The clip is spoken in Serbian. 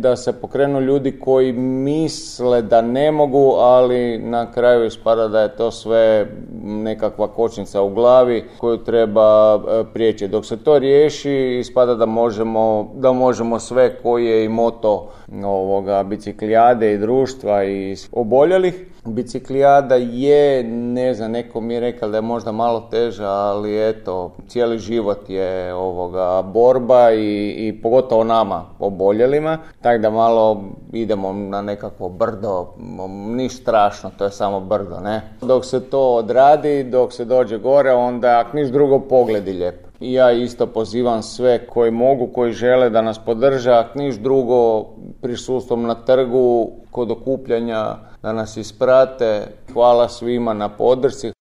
da se pokrenu ljudi koji misle da ne mogu, ali na kraju ispada da je to sve nekakva kočnica u glavi koju treba prijeći. Dok se to riješi, ispada da možemo sve, koji je i moto biciklijade i društva i oboljelih. Biciklijada je, ne znam, neko mi je rekao da je možda malo teža, ali eto, cijeli život je borba i pogotovo nama oboljelima, tako da malo idemo na nekakvo brdo, ništa strašno, to je samo brdo, ne. Dok se to odradi, dok se dođe gore, onda ako niš drugo pogledi lijepo. I ja isto pozivam sve koji mogu, koji žele da nas podrže, ako niš drugo prisustvom na trgu, kod okupljanja, da nas isprate. Hvala svima na podršci.